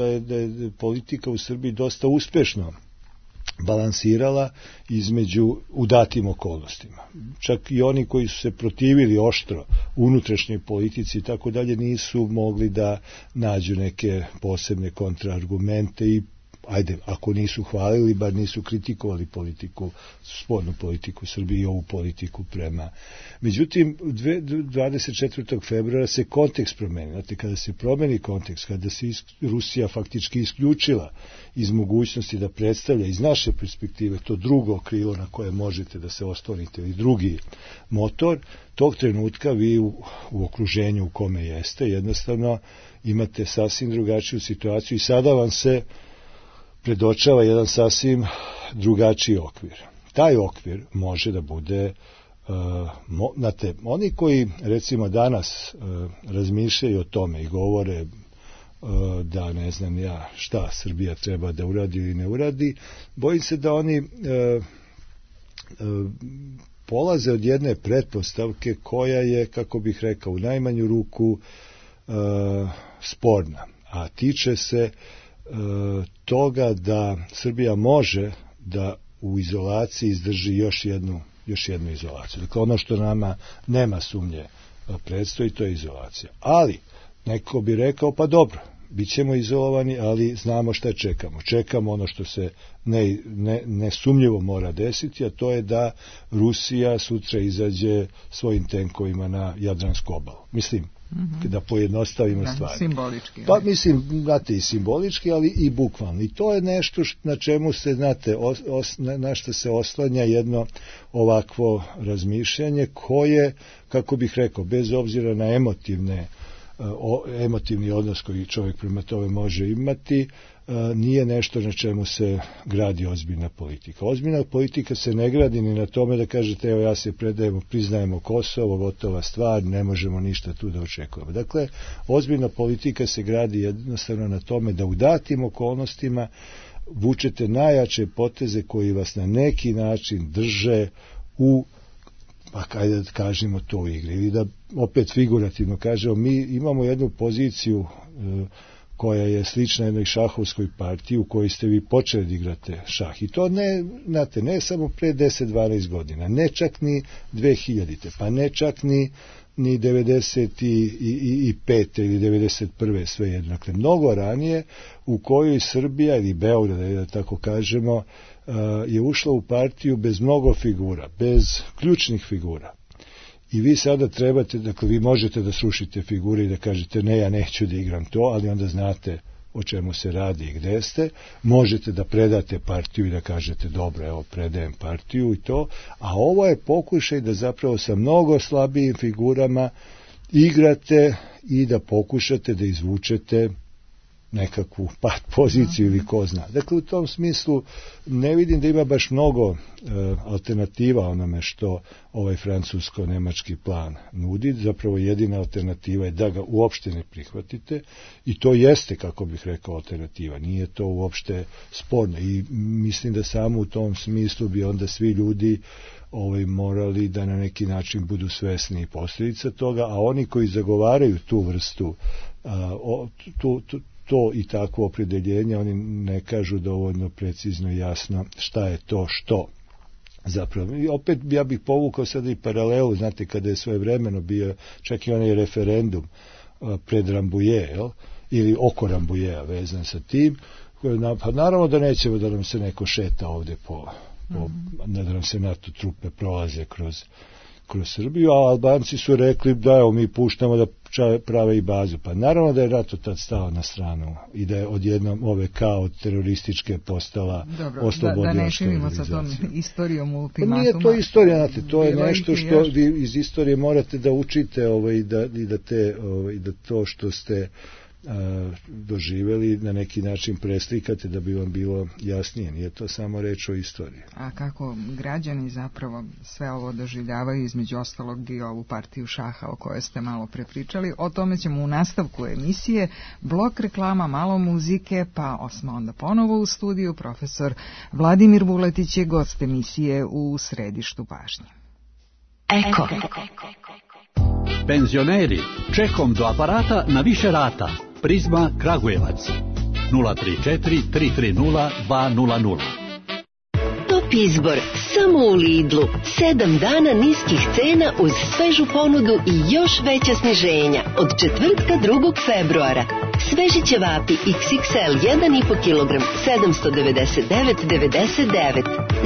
je politika u Srbiji dosta uspešno balansirala u datim okolnostima. Čak i oni koji su se protivili oštro unutrašnjoj politici i tako dalje nisu mogli da nađu neke posebne kontraargumente i ako nisu hvalili, bar nisu kritikovali politiku, spoljnu politiku Srbije i ovu politiku prema. Međutim, 24. februara se kontekst promeni. Znate, kada se promeni kontekst, kada se Rusija faktički isključila iz mogućnosti da predstavlja iz naše perspektive to drugo krilo na koje možete da se oslonite ili drugi motor, tog trenutka vi u okruženju u kome jeste, jednostavno imate sasvim drugačiju situaciju i sada vam se predočava jedan sasvim drugačiji okvir. Taj okvir može da bude, znate, oni koji recimo danas razmišljaju o tome i govore da ne znam ja šta Srbija treba da uradi ili ne uradi, bojim se da oni polaze od jedne pretpostavke koja je, kako bih rekao, u najmanju ruku sporna, a tiče se toga da Srbija može da u izolaciji izdrži još jednu izolaciju. Dakle, ono što nama nema sumnje predstoji, to je izolacija. Ali, neko bi rekao, pa dobro, bit ćemo izolovani, ali znamo šta čekamo. Čekamo ono što se nesumnjivo mora desiti, a to je da Rusija sutra izađe svojim tenkovima na Jadransku obalu. Mislim, da pojednostavimo stvari. Simbolički. Pa mislim, znate, i simbolički, ali i bukvalno. I to je nešto na čemu se, znate, na što se oslanja jedno ovakvo razmišljanje koje, kako bih rekao, bez obzira na emotivni odnos koji čovjek prema tome može imati, nije nešto na čemu se gradi ozbiljna politika. Ozbiljna politika se ne gradi ni na tome da kažete, evo ja se predajemo, priznajemo Kosovo, gotova stvar, ne možemo ništa tu da očekujemo. Dakle, ozbiljna politika se gradi jednostavno na tome da u datim okolnostima vučete najjače poteze koji vas na neki način drže u, pa kajde da kažemo to u igri, ili da opet figurativno kažemo, mi imamo jednu poziciju koja je slična jednoj šahovskoj partiji u kojoj ste vi počeli da igrate šah. I to ne samo pre 10-12 godina, ne čak ni 2000. Pa ne čak ni 95. ili 91. svejedno. Dakle, mnogo ranije u kojoj Srbija ili Beograd, da tako kažemo, je ušla u partiju bez mnogo figura, bez ključnih figura. I vi sada trebate, dakle, vi možete da srušite figure i da kažete ne, ja neću da igram to, ali onda znate o čemu se radi i gde ste. Možete da predate partiju i da kažete dobro, evo, predajem partiju i to. A ovo je pokušaj da zapravo sa mnogo slabijim figurama igrate i da pokušate da izvučete nekakvu pad poziciju ili ko zna. Dakle, u tom smislu ne vidim da ima baš mnogo alternativa onome što ovaj francusko-nemački plan nudi. Zapravo jedina alternativa je da ga uopšte ne prihvatite i to jeste, kako bih rekao, alternativa. Nije to uopšte sporno i mislim da samo u tom smislu bi onda svi ljudi morali da na neki način budu svesni posljedica toga, a oni koji zagovaraju tu vrstu to i takvo opredeljenje, oni ne kažu dovoljno precizno i jasno šta je to što zapravo. I opet ja bih povukao sada i paralelu, znate, kada je svojevremeno bio čak i onaj referendum pred Rambuje, ili oko Rambujeja vezan sa tim, pa naravno da nećemo da nam se neko šeta ovde da nam se NATO trupe prolaze kroz Srbiju, a Albanci su rekli da evo mi puštamo da prave i bazu. Pa naravno da je NATO tad stao na stranu i da je odjednom OVK od terorističke postala oslobodila. Da ne širimo sa tom istorijom ultimatuma. Pa nije to istorija, znate, to je nešto što vi iz istorije morate da učite i da to što ste doživeli na neki način preslikate da bi vam bilo jasnije. Nije to samo reč o istoriji. A kako građani zapravo sve ovo doživljavaju, između ostalog i ovu partiju šaha o kojoj ste malo prepričali, o tome ćemo u nastavku emisije. Blok reklama, malo muzike, pa smo onda ponovo u studiju. Profesor Vladimir Vuletić je gost emisije u središtu pažnje. Eko. Penzioneri, čekom do aparata na više rata. Prizma Kragujevac 034 330 200. Top izbor samo u Lidlu. 7 dana niskih cena uz svežu ponudu i još veća sniženja. Od četvrtka 2. februara. Sveži ćevapi XXL 1,5 kg 799,99.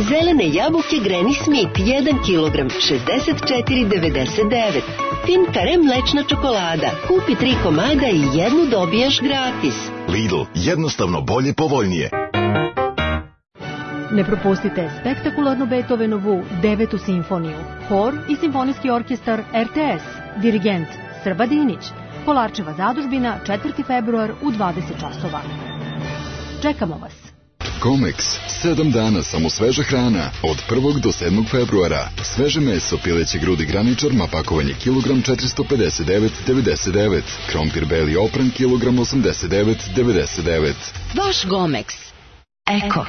Zelene jabuke Granny Smith 1 kg 64,99. Fin Kare mlečna čokolada. Kupi 3 komada i jednu dobiješ gratis. Lidl, jednostavno bolje, povoljnije. Ne propustite spektakularnu Beethovenovu 9. simfoniju. Hor i simfonijski orkestar RTS. Dirigent Srba Dinić. Kolarčeva zadužbina, 4. februar u 20 časova. Čekamo vas. Comex, 7 dana samo sveža hrana, od 1. do 7. februara. Sveže meso, pileće grudi graničarma, pakovanje kilogram 459,99. Krompir beli opran, kilogram 89,99. Vaš Gomex. Eko.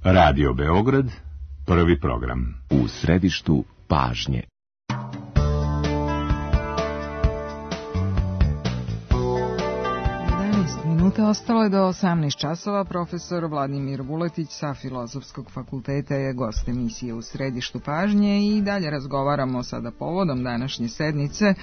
Radio Beograd, prvi program. U središtu pažnje. Minuta ostalo je do 18 časova. Profesor Vladimir Vuletić sa Filozofskog fakulteta je gost emisije U središtu pažnje i dalje razgovaramo sada povodom današnje sednice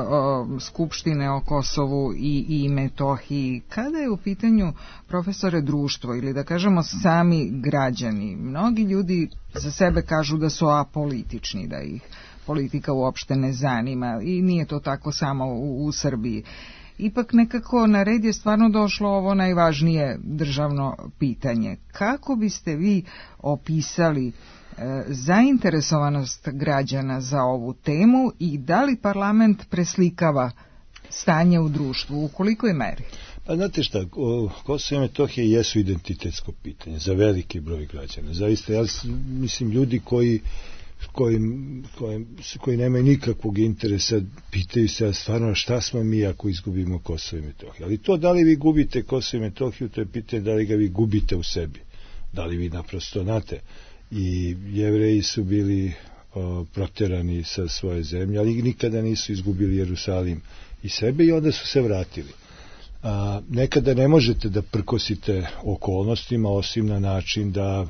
o Skupštine o Kosovu i Metohiji. Kada je u pitanju, profesore, društvo ili da kažemo sami građani, mnogi ljudi za sebe kažu da su apolitični, da ih politika uopšte ne zanima i nije to tako samo u Srbiji. Ipak nekako na red je stvarno došlo ovo najvažnije državno pitanje. Kako biste vi opisali zainteresovanost građana za ovu temu i da li parlament preslikava stanje u društvu, u kolikoj meri? Pa znate šta, Kosovo i Metohija jesu identitetsko pitanje za veliki broj građana. Zaista, ja mislim, ljudi koji nemaju nikakvog interesa pitaju se stvarno šta smo mi ako izgubimo Kosovo i Metohiju. Ali to da li vi gubite Kosovo i Metohiju, to je pitanje da li ga vi gubite u sebi. Da li vi naprosto, znate, i Jevreji su bili proterani sa svoje zemlje, ali nikada nisu izgubili Jerusalim i sebe i onda su se vratili. Nekada ne možete da prkosite okolnostima osim na način da,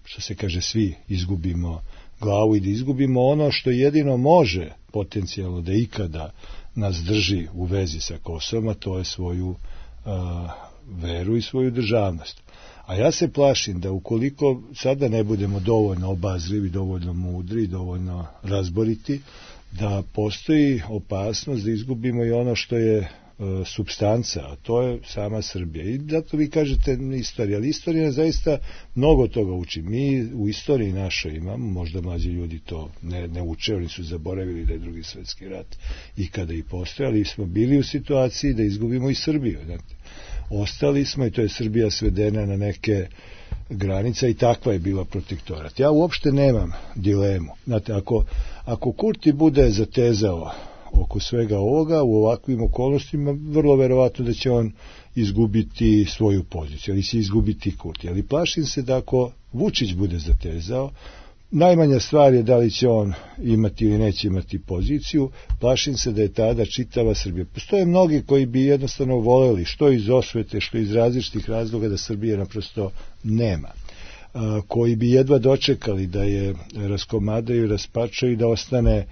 što se kaže, svi izgubimo glavu i da izgubimo ono što jedino može potencijalno da ikada nas drži u vezi sa Kosovom, a to je svoju veru i svoju državnost. A ja se plašim da ukoliko sada ne budemo dovoljno obazrivi, dovoljno mudri, dovoljno razboriti, da postoji opasnost da izgubimo i ono što je supstanca, a to je sama Srbija. I zato vi kažete istorija, ali istorija zaista mnogo toga uči. Mi u istoriji našoj imamo, možda mlađi ljudi to ne uče, oni su zaboravili da je Drugi svjetski rat i kada i postojali, smo bili u situaciji da izgubimo i Srbiju. Znate. Ostali smo i to je Srbija svedena na neke granice i takva je bila protektorat. Ja uopšte nemam dilemu. Znate, ako Kurti bude zatezao oko svega ovoga, u ovakvim okolnostima, vrlo verovatno da će on izgubiti svoju poziciju, ali će izgubiti Kurti. Ali plašim se da ako Vučić bude zatezao, najmanja stvar je da li će on imati ili neće imati poziciju, plašim se da je tada čitava Srbija. Postoje mnogi koji bi jednostavno voleli, što iz osvete, što iz različitih razloga, da Srbije naprosto nema. Koji bi jedva dočekali da je raskomadaju, raspačaju i da ostane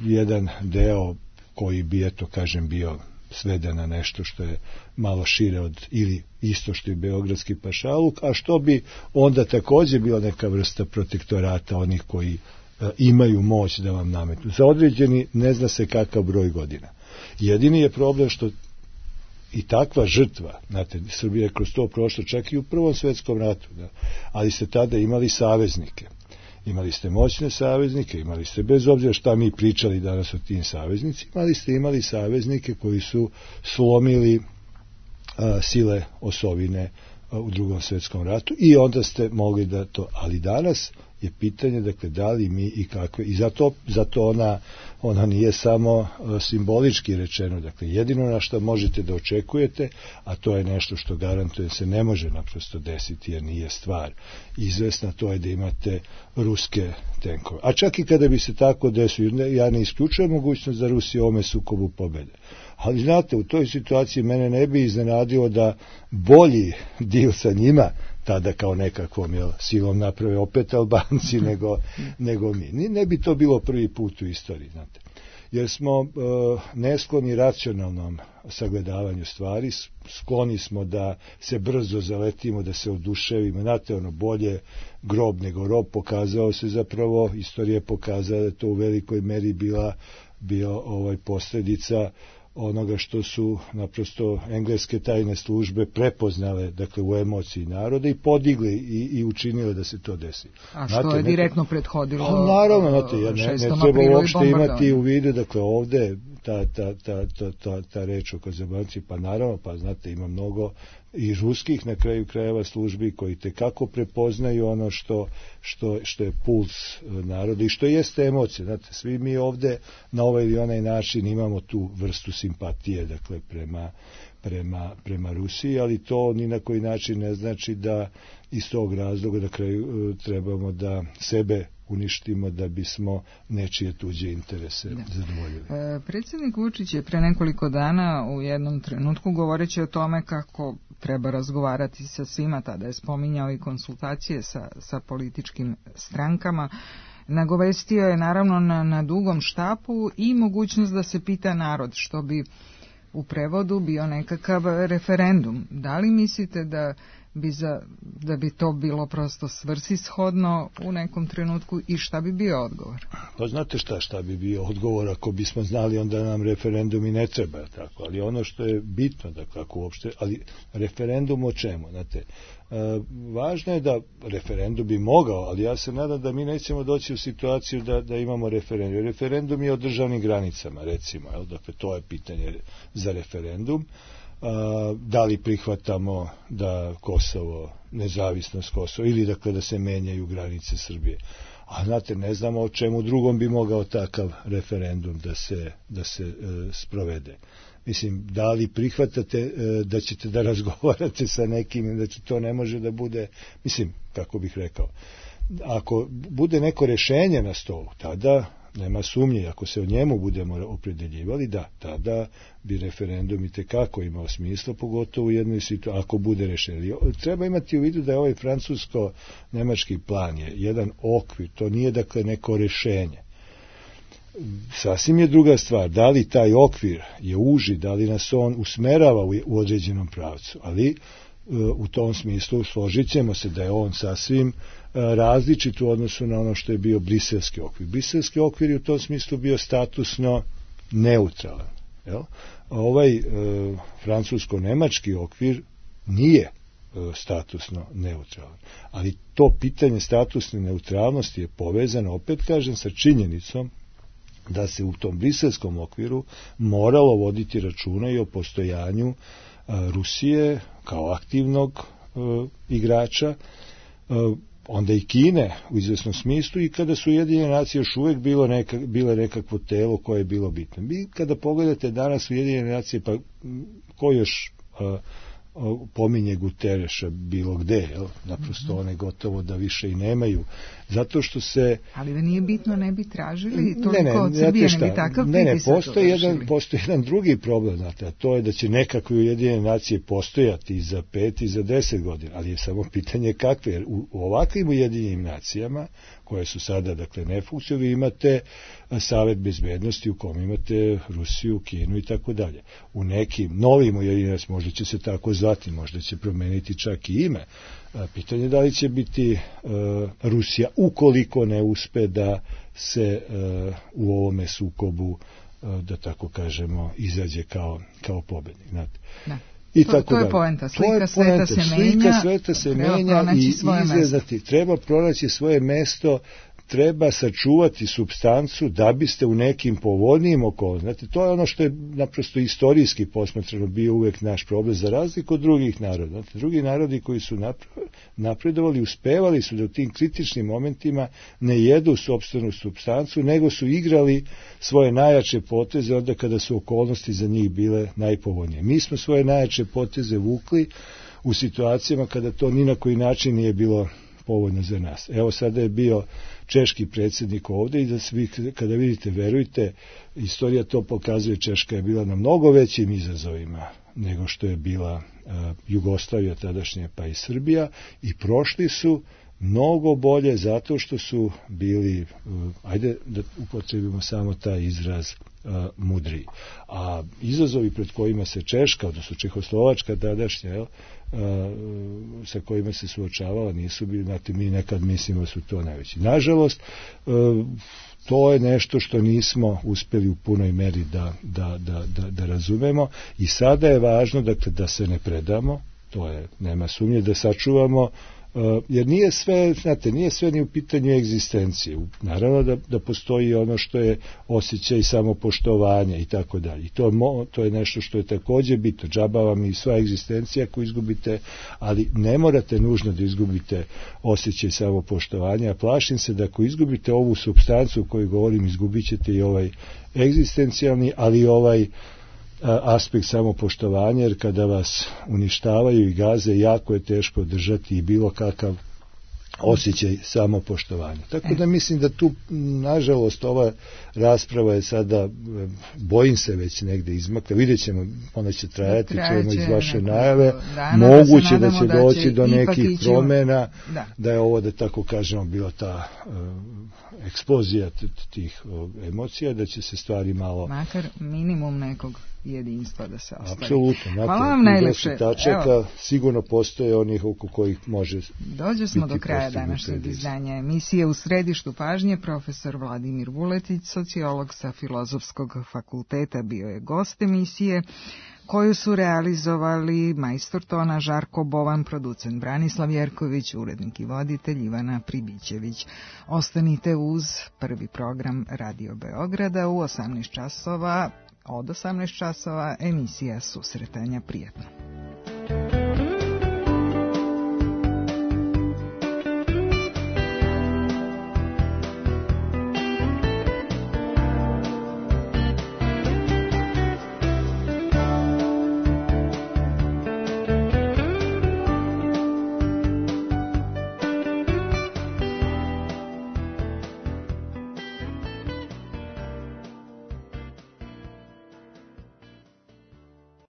jedan deo koji bi, eto kažem, bio sveden na nešto što je malo šire od, ili isto što je beogradski pašaluk, a što bi onda takođe bila neka vrsta protektorata onih koji imaju moć da vam nametnu. Za određeni ne zna se kakav broj godina. Jedini je problem što i takva žrtva, znate, Srbija je kroz to prošla čak i u Prvom svjetskom ratu, da, ali ste tada imali saveznike. Imali ste moćne saveznike, imali ste, bez obzira šta mi pričali danas o tim saveznicima, ali ste imali saveznike koji su slomili sile osovine u Drugom svjetskom ratu i onda ste mogli da to, ali danas je pitanje, dakle, da li mi i kakve, i zato ona nije samo simbolički rečeno, dakle, jedino na što možete da očekujete, a to je nešto što garantuje se ne može naprosto desiti, jer nije stvar izvesna, to je da imate ruske tenkove. A čak i kada bi se tako desilo, ja ne isključujem mogućnost da Rusija u ovome sukobu pobede. Ali znate, u toj situaciji mene ne bi iznenadilo da bolji dil sa njima tada kao nekakvom silom naprave opet Albanci nego mi. Ne bi to bilo prvi put u istoriji, znate. Jer smo neskloni racionalnom sagledavanju stvari, skloni smo da se brzo zaletimo, da se oduševimo. Znate, ono, bolje grob nego rob, pokazao se zapravo, istorija pokazala da to u velikoj meri bio posljedica onoga što su naprosto engleske tajne službe prepoznale, dakle, u emociji naroda i podigli i učinile da se to desi. A što je direktno prethodilo? Naravno, znate, ne treba uopšte imati u vidu, dakle, ovde ta reč o Kazabanci, pa naravno, pa znate, ima mnogo i ruskih na kraju krajeva službi koji tekako prepoznaju ono što je puls naroda i što jeste emocija. Znate, svi mi ovde na ovaj ili onaj način imamo tu vrstu simpatije, dakle, prema Rusiji, ali to ni na koji način ne znači da iz tog razloga na kraju trebamo da sebe uništimo da bismo nečije tuđe interese zadovoljili. Predsjednik Vučić je pre nekoliko dana u jednom trenutku, govoreći o tome kako treba razgovarati sa svima, tada je spominjao i konsultacije sa političkim strankama, nagovestio je naravno na dugom štapu i mogućnost da se pita narod, što bi u prevodu bio nekakav referendum. Da li mislite da da bi to bilo prosto svrsishodno u nekom trenutku i šta bi bio odgovor? Pa znate šta bi bio odgovor ako bismo znali, onda nam referendum i ne treba, tako, ali ono što je bitno, dakle, ako uopšte, ali referendum o čemu, znate, važno je da referendum bi mogao, ali ja se nadam da mi nećemo doći u situaciju da imamo referendum. Referendum je o državnim granicama, recimo, dakle, to je pitanje za referendum. Da li prihvatamo da Kosovo, nezavisnost Kosova, ili dakle da se menjaju granice Srbije. A znate, ne znamo o čemu drugom bi mogao takav referendum da se sprovede. Mislim, da li prihvatate da ćete da razgovarate sa nekim, da to ne može da bude, mislim, kako bih rekao, ako bude neko rešenje na stolu, tada nema sumnje, ako se o njemu budemo opredeljivali, da, tada bi referendum i tekako imao smisla, pogotovo u jednoj situaciji, ako bude rešenje. Treba imati u vidu da je ovaj francusko-nemački plan je jedan okvir, to nije dakle neko rešenje. Sasvim je druga stvar, da li taj okvir je uži, da li nas on usmerava u određenom pravcu, ali u tom smislu složit ćemo se da je on sasvim različit u odnosu na ono što je bio briselski okvir. Briselski okvir je u tom smislu bio statusno neutralan. Jel? Ovaj francusko-nemački okvir nije statusno neutralan. Ali to pitanje statusne neutralnosti je povezano, opet kažem, sa činjenicom da se u tom briselskom okviru moralo voditi računa i o postojanju Rusije kao aktivnog igrača, onda i Kine u izvesnom smislu, i kada su Ujedinjene nacije još uvek bile nekakvo telo koje je bilo bitno. Vi kada pogledate danas Ujedinjene nacije, pa ko još pominje Gutereša bilo gde, jel? Naprosto one gotovo da više i nemaju, zato što se... Ali da nije bitno, ne bi tražili toliko od Srbije, ne bi takav pritisak. Postoji jedan drugi problem, znate, a to je da će nekakve Ujedinjene nacije postojati i za 5 i za 10 godina, ali je samo pitanje kakve, jer u ovakvim Ujedinjenim nacijama, koje su sada, dakle, nefunkcionalne, vi imate Savet bezbednosti u kom imate Rusiju, Kinu i tako dalje. U nekim novim Ujedinjenim nacijama, možda će se tako zvati, možda će promeniti čak i ime. Pitanje je da li će biti Rusija, ukoliko ne uspe da se u ovome sukobu, da tako kažemo, izađe kao pobednik. Znate. Da. To je poenta. Slika sveta se menja i izgledati. Treba pronaći svoje mesto, treba sačuvati supstancu da biste u nekim povoljnijim okolnostima. Znate, to je ono što je naprosto istorijski posmatrano bio uvek naš problem, za razliku od drugih naroda. Znate, drugi narodi koji su napredovali, uspevali su da u tim kritičnim momentima ne jedu sopstvenu supstancu, nego su igrali svoje najjače poteze onda kada su okolnosti za njih bile najpovoljnije. Mi smo svoje najjače poteze vukli u situacijama kada to ni na koji način nije bilo povoljno za nas. Evo, sada je bio češki predsjednik ovde i da svi, kada vidite, verujte, istorija to pokazuje, Češka je bila na mnogo većim izazovima nego što je bila Jugoslavija tadašnja, pa i Srbija, i prošli su mnogo bolje zato što su bili, ajde da upotrebimo samo taj izraz, mudriji. A izazovi pred kojima se Češka, odnosno Čehoslovačka tadašnja, sa kojima se suočavala, nisu bili, znate, mi nekad mislimo da su to najveći. Nažalost, to je nešto što nismo uspeli u punoj meri da razumemo, i sada je važno, dakle, da se ne predamo, to je, nema sumnje, da sačuvamo, jer nije sve, znate, nije sve ni u pitanju egzistencije. Naravno da postoji ono što je osjećaj samopoštovanja i tako dalje. I to je nešto što je takođe bitno. Džaba vam i sva egzistencija ako izgubite, ali ne morate nužno da izgubite osjećaj samopoštovanja. Plašim se da ako izgubite ovu supstancu o kojoj govorim, izgubit ćete i ovaj egzistencijalni, ali i ovaj aspekt samopoštovanja, jer kada vas uništavaju i gaze, jako je teško držati i bilo kakav osjećaj samopoštovanja. Tako da mislim da tu, nažalost, ova rasprava je sada, bojim se, već negde izmakla. Vidjet ćemo, ona će trajati, čujemo iz vaše najave. Moguće da će doći do nekih promjena, da je ovo, da tako kažemo, bila ta eksplozija tih emocija, da će se stvari malo... Makar minimum nekog jedinstva da se ostvari. Apsolutno. Hvala vam najlepše. Sigurno postoje onih oko kojih može... Dođe smo do kraja današnjeg izdanja emisije. U središtu pažnje profesor Vladimir Vuletić, sociolog sa Filozofskog fakulteta, bio je gost emisije, koju su realizovali majstor tona Žarko Bovan, producent Branislav Jerković, urednik i voditelj Ivana Pribićević. Ostanite uz prvi program Radio Beograda u 18 časova. Od 18 časova emisija Susretanja. Prijetno.